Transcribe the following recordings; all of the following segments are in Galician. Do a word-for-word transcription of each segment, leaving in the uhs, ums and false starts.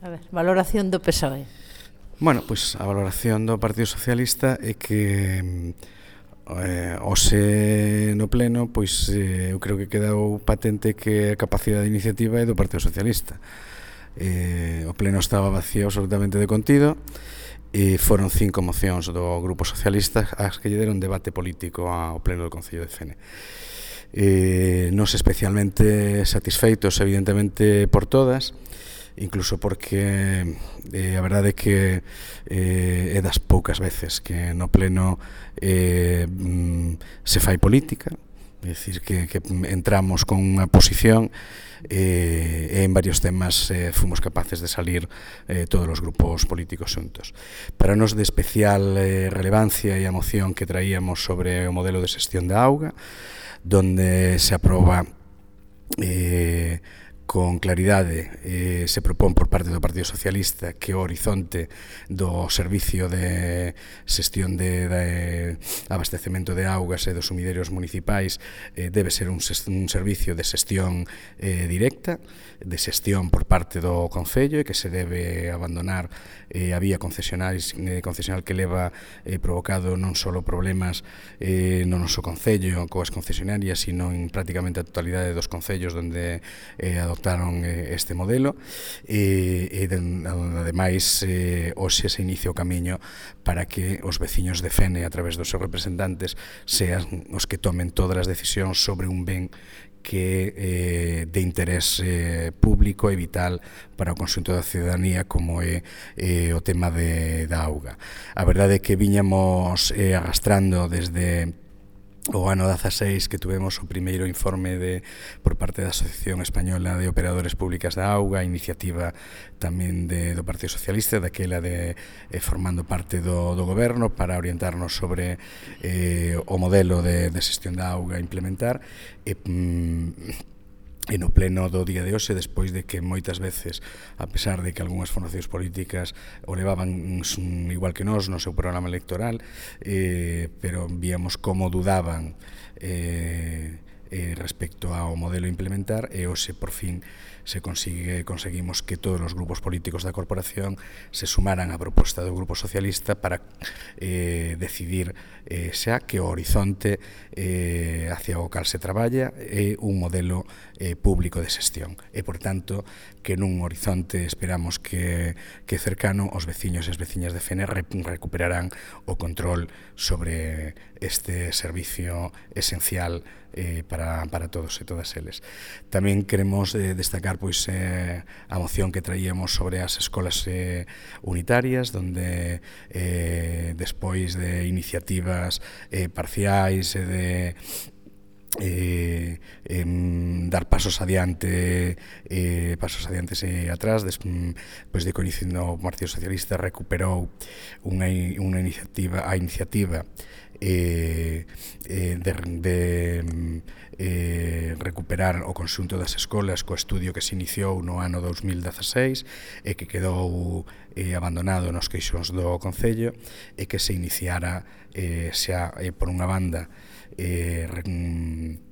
A ver, valoración do P S O E. Bueno, pois a valoración do Partido Socialista é que eh, hoxe no pleno pois eh, eu creo que quedou patente que a capacidade de iniciativa é do Partido Socialista. Eh, o pleno estaba vacío absolutamente de contido e foron cinco mocións do Grupo Socialista as que lle deron debate político ao pleno do Concello de Fene. Eh, non especialmente satisfeitos evidentemente por todas, incluso porque eh, a verdade é que eh, é das poucas veces que no pleno eh, se fai política, é dicir, que, que entramos con unha posición eh, e en varios temas eh, fomos capaces de salir eh, todos os grupos políticos xuntos. Para nos de especial eh, relevancia e a moción que traíamos sobre o modelo de xestión da auga, donde se aproba eh, con claridade eh, se propón por parte do Partido Socialista que o horizonte do servicio de xestión de, de abastecemento de augas e dos sumiderios municipais eh, debe ser un, un servicio de xestión eh, directa, de xestión por parte do Concello e que se debe abandonar eh, a vía concesional, eh, concesional que leva eh, provocado non só problemas eh, no noso Concello coas concesionarias, sino en prácticamente a totalidade dos concellos onde eh, adoptaron este modelo e, e ademais eh, hoxe se inicia o camiño para que os veciños de Fene a través dos seus representantes sean os que tomen todas as decisións sobre un ben que eh, de interés eh, público e vital para o conxunto da ciudadanía como é eh, o tema de, da auga. A verdade é que viñamos eh, arrastrando desde o ano dezaseis que tuvemos o primeiro informe de, por parte da Asociación Española de Operadores Públicas da Auga, iniciativa tamén de, do Partido Socialista, daquela de eh, formando parte do, do goberno para orientarnos sobre eh, o modelo de, de xestión da auga a implementar e mm, E no pleno do día de hoxe, despois de que moitas veces, a pesar de que algunhas formacións políticas o levaban igual que nós no seu programa electoral, eh, pero víamos como dudaban eh, eh, respecto ao modelo a implementar, e hoxe por fin se consigue, conseguimos que todos os grupos políticos da corporación se sumaran á proposta do Grupo Socialista para eh, decidir eh, xa que o horizonte eh, hacia o cal se traballa é un modelo eh, público de xestión e, por tanto, que nun horizonte esperamos que, que cercano os veciños e as veciñas de Fene recuperarán o control sobre este servicio esencial eh, para, para todos e todas eles. Tamén queremos eh, destacar pois eh, a moción que traíamos sobre as escolas eh, unitarias, donde eh, despois de iniciativas eh, parciais e de Eh, eh, dar pasos adiante eh, pasos adiante e atrás des, pois de coñecendo o Partido Socialista recuperou unha, unha iniciativa a iniciativa eh, eh, de, de eh, recuperar o conxunto das escolas co estudio que se iniciou no ano dous mil dezaseis e que quedou eh, abandonado nos queixos do Concello e que se iniciara eh, xa eh, por unha banda eh,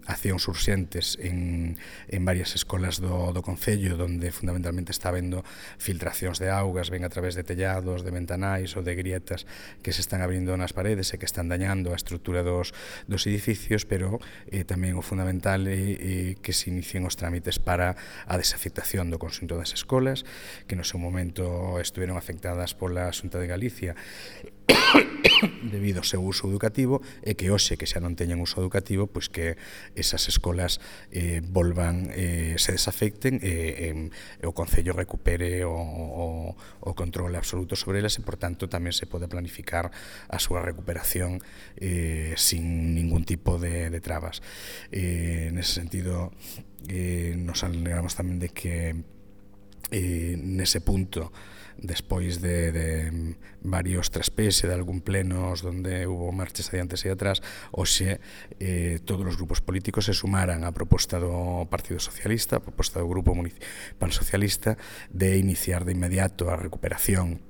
accións urxentes en, en varias escolas do, do Concello, donde fundamentalmente está habendo filtracións de augas, ben a través de tellados, de ventanais ou de grietas que se están abrindo nas paredes e que están dañando a estrutura dos, dos edificios, pero eh, tamén o fundamental é eh, que se inicien os trámites para a desafectación do conxunto das escolas, que no seu momento estuveron afectadas pola Xunta de Galicia debido ao seu uso educativo e que hoxe que xa non teñen uso educativo, pois que esas escolas eh, volvan, eh, se desafecten e, e, e o Concello recupere o, o, o control absoluto sobre elas e, por tanto, tamén se pode planificar a súa recuperación eh, sin ningún tipo de, de trabas. Eh, nese sentido, eh, nos alegramos tamén de que eh, nese punto despois de, de varios traspés e de algún plenos donde hubo marches adiantes e atrás, hoxe eh, todos os grupos políticos se sumaran á proposta do Partido Socialista, a proposta do Grupo Municipal Socialista, de iniciar de inmediato a recuperación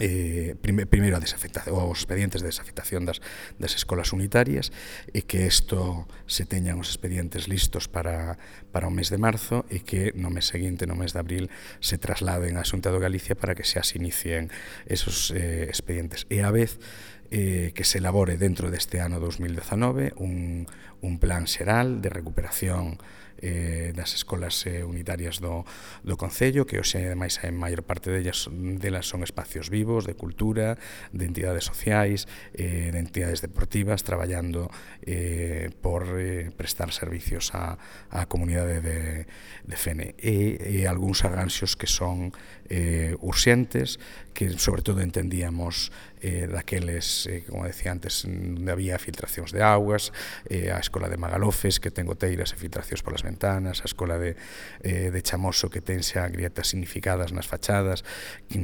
Eh, prime, primeiro a desafectación, os expedientes de desafectación das, das escolas unitarias, e que isto se teñan os expedientes listos para, para o mes de marzo, e que no mes seguinte, no mes de abril, se trasladen á Xunta de Galicia para que xa se inicien esos eh, expedientes. E a vez eh, que se elabore dentro deste ano dos mil dezanove un, un plan xeral de recuperación eh, das escolas eh, unitarias do, do Concello, que hoxe, ademais, a maior parte delas, delas son espacios vivos, de cultura, de entidades sociais, eh, de entidades deportivas, traballando eh, por eh, prestar servicios á, á comunidade de, de Fene. E, e algúns arranxos que son eh, urxentes, que sobre todo entendíamos eh, daqueles, eh, como decía antes, onde había filtracións de augas, eh, a escola de Magalofes, que ten goteiras e filtracións polas ventanas, a escola de, eh, de Chamoso, que ten xa grietas significadas nas fachadas,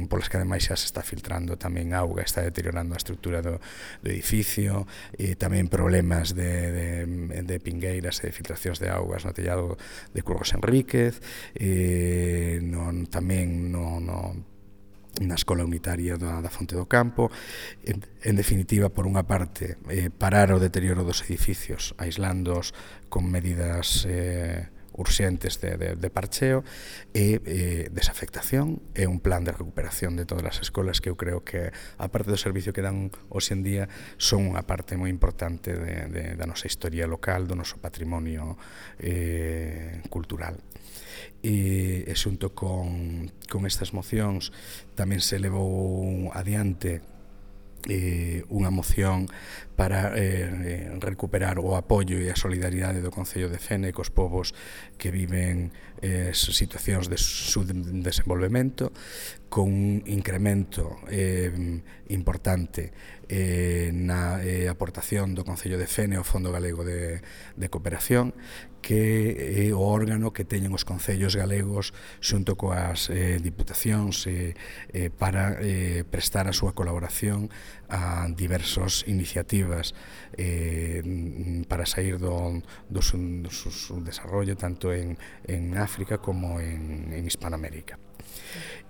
polas que ademais xa se está filtrando tamén auga, está deteriorando a estrutura do, do edificio, e tamén problemas de, de, de pingueiras e de filtracións de augas no tellado de Curros Enríquez, eh, non, tamén no, no na escola unitaria da, da Fonte do Campo. En, en definitiva, por unha parte, eh, parar o deterioro dos edificios, aislándoos con medidas eh, urxentes de, de, de parcheo, e eh, desafectación, e un plan de recuperación de todas as escolas que eu creo que, a parte do servicio que dan hoxe en día, son unha parte moi importante de, de, da nosa historia local, do noso patrimonio eh, cultural. E, e xunto con, con estas mocións tamén se levou adiante eh, unha moción para eh, recuperar o apoio e a solidaridade do Concello de Fene cos povos que viven eh, situacións de subdesenvolvemento, con un incremento eh, importante eh, na eh, aportación do Concello de Fene ao Fondo Galego de, de Cooperación, que é o órgano que teñen os concellos galegos xunto coas eh, diputacións eh, eh, para eh, prestar a súa colaboración a diversas iniciativas eh, para sair do, do, do, do seu desarrollo tanto en, en África como en, en Hispanoamérica.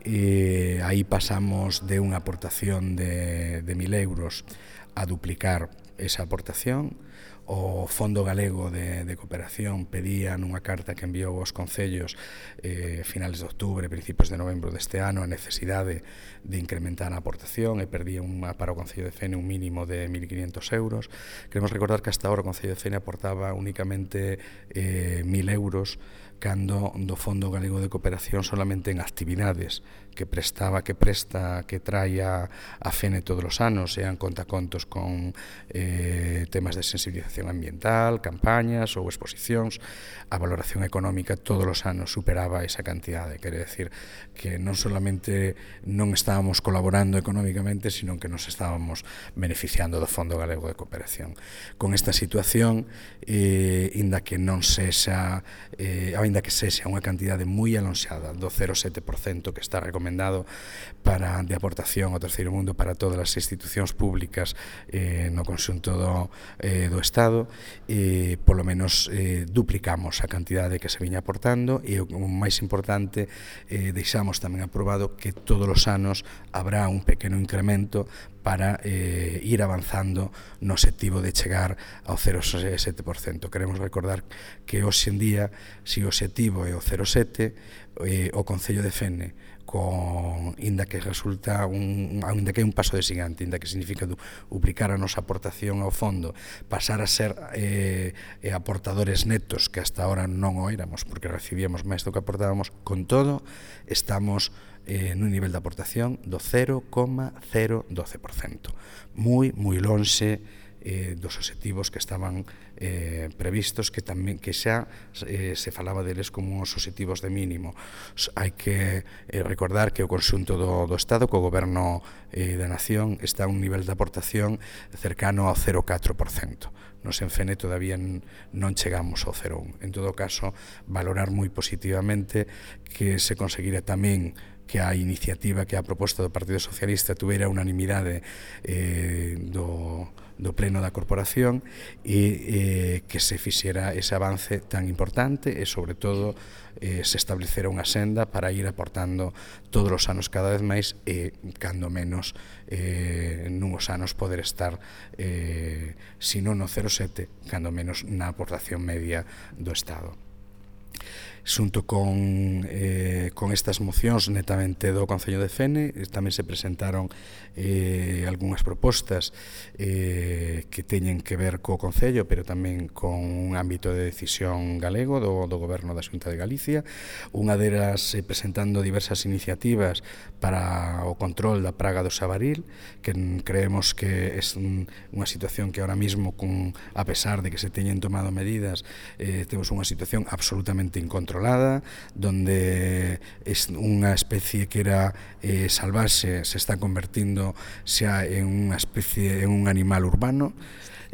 E aí pasamos de unha aportación de, de mil euros a duplicar esa aportación. O Fondo Galego de, de Cooperación pedía nunha carta que enviou aos concellos eh, finales de outubro, principios de novembro deste ano, a necesidade de incrementar a aportación, e perdía unha, para o Concello de Fene un mínimo de mil quinientos euros. Queremos recordar que hasta ahora o Concello de Fene aportaba únicamente eh, mil euros, cando do Fondo Galego de Cooperación solamente en actividades que prestaba, que presta, que trae a, a Fene todos os anos, sean contacontos con eh, temas de sensibilización ambiental, campañas ou exposicións, a valoración económica todos os anos superaba esa cantidade. Quere decir que non solamente non estábamos colaborando económicamente, sino que nos estábamos beneficiando do Fondo Galego de Cooperación. Con esta situación, eh, inda que non sexa, eh, ainda que sexa unha cantidade moi alonxada do cero coma sete por cento que está recomendado para de aportación ao terceiro mundo para todas as institucións públicas eh, no conxunto do, eh, do Estado, eh, polo menos eh, duplicamos a cantidade que se viña aportando, e o máis importante, eh, deixamos tamén aprobado que todos os anos habrá un pequeno incremento para eh, ir avanzando no obxectivo de chegar ao cero coma sete por cento. Queremos recordar que hoxe en día, se o obxectivo é o cero coma sete, eh, o Concello de Fene, con, inda que resulta un, inda que é un paso de xigante, inda que significa duplicar a nosa aportación ao fondo, pasar a ser eh, aportadores netos, que hasta ahora non o éramos, porque recibíamos máis do que aportábamos, con todo, estamos eh, nun nivel de aportación do cero coma cero doce por cento. Moi, moi lonxe eh, dos obxectivos que estaban eh, previstos, que tamén que xa eh, se falaba deles como uns obxectivos de mínimo. Hai que eh, recordar que o conxunto do, do Estado, co Goberno eh, da Nación, está a un nivel de aportación cercano ao cero coma catro por cento. Nos en Fene todavía non chegamos ao cero coma un. En todo caso, valorar moi positivamente que se conseguira tamén que a iniciativa, que a proposta do Partido Socialista tuvera unanimidade eh, do, do Pleno da Corporación, e eh, que se fixera ese avance tan importante e, sobre todo, eh, se establecera unha senda para ir aportando todos os anos cada vez máis e, cando menos, eh, nunhos anos poder estar, eh, si non no cero coma sete, cando menos na aportación media do Estado. Xunto con, eh, con estas mocións netamente do Concello de Fene, tamén se presentaron eh, algunhas propostas eh, que teñen que ver co Concello, pero tamén con un ámbito de decisión galego do, do Goberno da Xunta de Galicia. Unha delas eh, presentando diversas iniciativas para o control da praga do xabaril, que creemos que é un, unha situación que ahora mismo, con, a pesar de que se teñen tomado medidas, eh, temos unha situación absolutamente incontrolada, donde es unha especie que era eh, salvaxe se está convertindo xa en unha especie, en un animal urbano,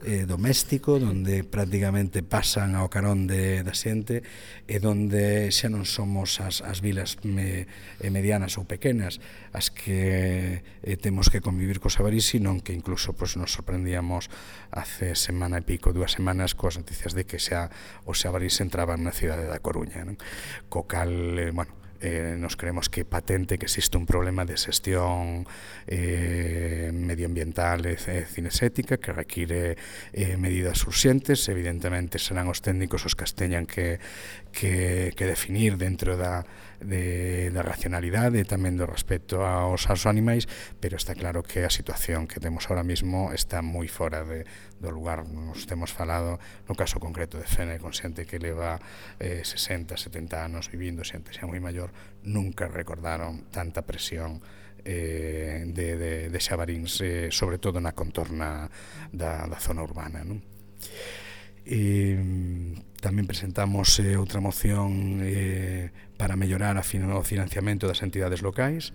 eh, doméstico, donde prácticamente pasan ao carón de, da xente, e donde xa non somos as, as vilas me, eh, medianas ou pequenas as que eh, temos que convivir co xabaril, sino que incluso pues, nos sorprendíamos hace semana e pico, dúas semanas, coas noticias de que xa o xabaril se entraba na cidade da Coruña, non? Co cal, eh, bueno, Eh, nos creemos que é patente que existe un problema de xestión eh, medioambiental e cinesética que require eh, medidas urxentes. Evidentemente serán os técnicos os que as teñan que, que, que definir dentro da, de, da racionalidade e tamén do respecto aos, aos animais, pero está claro que a situación que temos ahora mismo está moi fora de, do lugar. Nos temos falado no caso concreto de Fene, con xente que leva eh, sesenta, setenta anos vivindo, xente xa moi maior, nunca recordaron tanta presión eh, de, de, de xabaríns, eh, sobre todo na contorna da, da zona urbana, non? E tamén presentamos eh, outra moción eh, para mellorar a fin, o financiamento das entidades locais,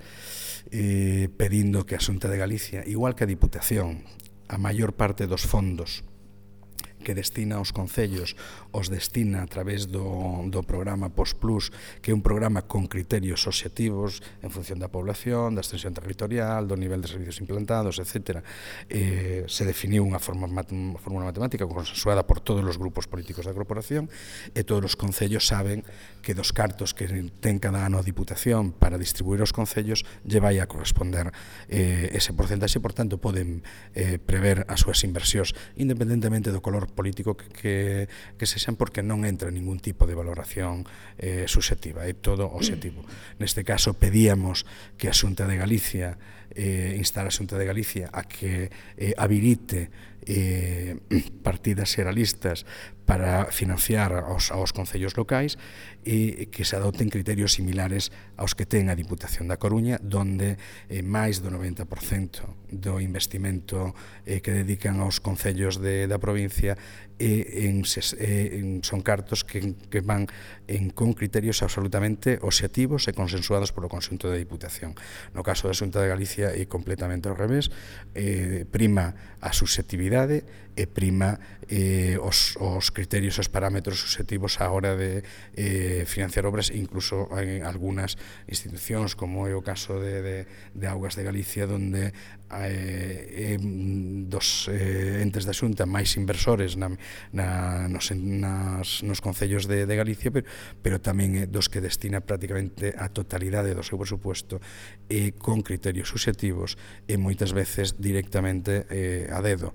eh, pedindo que a Xunta de Galicia, igual que a Diputación, a maior parte dos fondos que destina aos concellos os destina a través do, do programa POSPLUS, que é un programa con criterios obxectivos en función da población, da extensión territorial, do nivel de servicios implantados, etcétera. Eh, se definiu unha forma, uma fórmula matemática consensuada por todos os grupos políticos da corporación, e todos os concellos saben que dos cartos que ten cada ano a Diputación para distribuir aos concellos lle vai a corresponder eh, ese porcentaxe, por tanto poden eh, prever as súas inversións independentemente do color político que, que, que sexan, porque non entra ningún tipo de valoración eh, subxectiva, é todo obxectivo. Neste caso pedíamos que a Xunta de Galicia eh, instala a Xunta de Galicia a que eh, habilite eh, partidas xeralistas para financiar aos, aos concellos locais e que se adopten criterios similares aos que ten a Diputación da Coruña, donde eh, máis do noventa por cento do investimento eh, que dedican aos concellos de, da provincia e en, eh, en, son cartos que, que van en, con criterios absolutamente obxectivos e consensuados polo conxunto da Diputación. No caso da Xunta de Galicia é completamente ao revés, eh, prima a susceptibilidade e prima eh, os, os criterios, os parámetros subxectivos á hora de eh, financiar obras, incluso en algunhas institucións, como é o caso de, de, de Augas de Galicia, donde eh, eh, dos eh, entes da Xunta máis inversores na, na, nos, nas, nos concellos de, de Galicia, pero, pero tamén eh, dos que destina prácticamente a totalidade do seu presupuesto eh, con criterios subxectivos e moitas veces directamente eh, a dedo.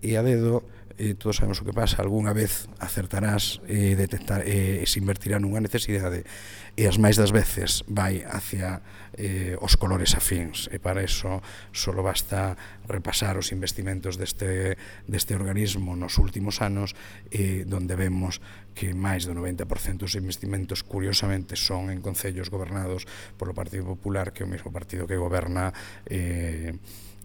E a dedo, eh, todos sabemos o que pasa, algunha vez acertarás e eh, detectar, eh, se invertirá nunha necesidade, e as máis das veces vai hacia eh, os colores afíns, e para eso solo basta repasar os investimentos deste, deste organismo nos últimos anos, eh, donde vemos que máis do noventa por cento dos investimentos, curiosamente, son en concellos gobernados polo Partido Popular, que é o mesmo partido que goberna eh,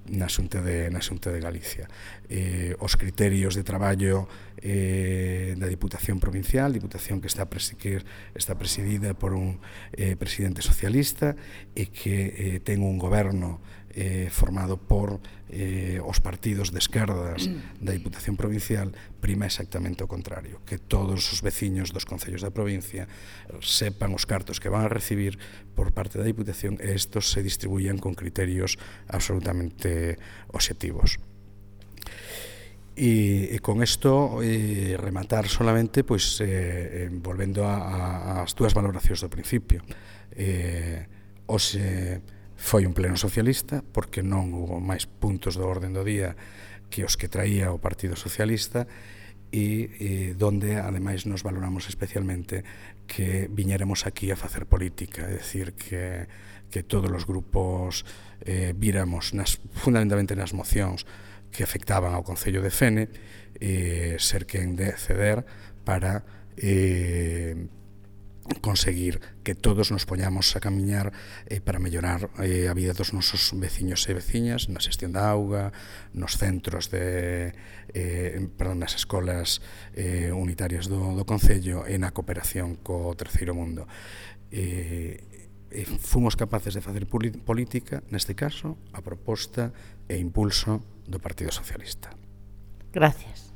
na Xunta de, na Xunta de Galicia. Eh, os criterios de traballo eh, da Diputación Provincial, Diputación que está, que está presidida por un eh, presidente socialista e que eh, ten un goberno eh, formado por eh, os partidos de esquerdas da Diputación Provincial, prima exactamente o contrario, que todos os veciños dos concellos da provincia sepan os cartos que van a recibir por parte da Diputación e estos se distribuían con criterios absolutamente obxectivos. E, e con isto eh, rematar solamente pois, eh, eh, volvendo a, a, as túas valoracións do principio. Eh, hoxe foi un pleno socialista porque non hubo máis puntos do orden do día que os que traía o Partido Socialista e, e donde ademais nos valoramos especialmente que viñéramos aquí a facer política, é dicir que, que todos os grupos eh, víramos nas, fundamentalmente nas mocións que afectaban ao Concello de Fene eh, ser quen de ceder para eh, conseguir que todos nos poñamos a camiñar eh, para mellorar eh, a vida dos nosos veciños e veciñas na xestión da auga, nos centros de eh, perdón, nas escolas eh, unitarias do, do Concello e na cooperación co terceiro mundo. Eh, e fomos capaces de facer política, neste caso, a proposta e impulso do Partido Socialista. Gracias.